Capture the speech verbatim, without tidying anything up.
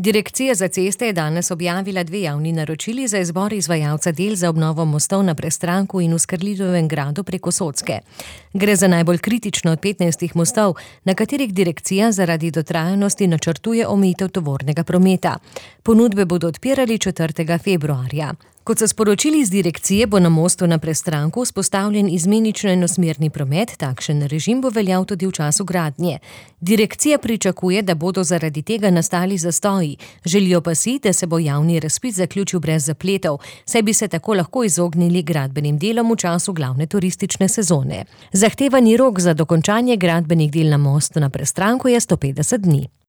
Direkcija za ceste je danes objavila dve javni naročili za izbor izvajalca del za obnovo mostov na Prestranku in v Skrljivem gradu preko Socke. Gre za najbolj kritično od petnajstih mostov, na katerih direkcija zaradi dotrajanosti načrtuje omejitev tovornega prometa. Ponudbe bodo odpirali četrtega februarja. Kot so sporočili iz direkcije, bo na mostu na Prestranku vzpostavljen izmenično enosmerni promet, takšen režim bo veljal tudi v času gradnje. Direkcija pričakuje, da bodo zaradi tega nastali zastoji, želijo pa si, da se bo javni razpis zaključil brez zapletov, saj bi se tako lahko izognili gradbenim delom v času glavne turistične sezone. Zahtevani rok za dokončanje gradbenih del na mostu na Prestranku je sto petdeset dni.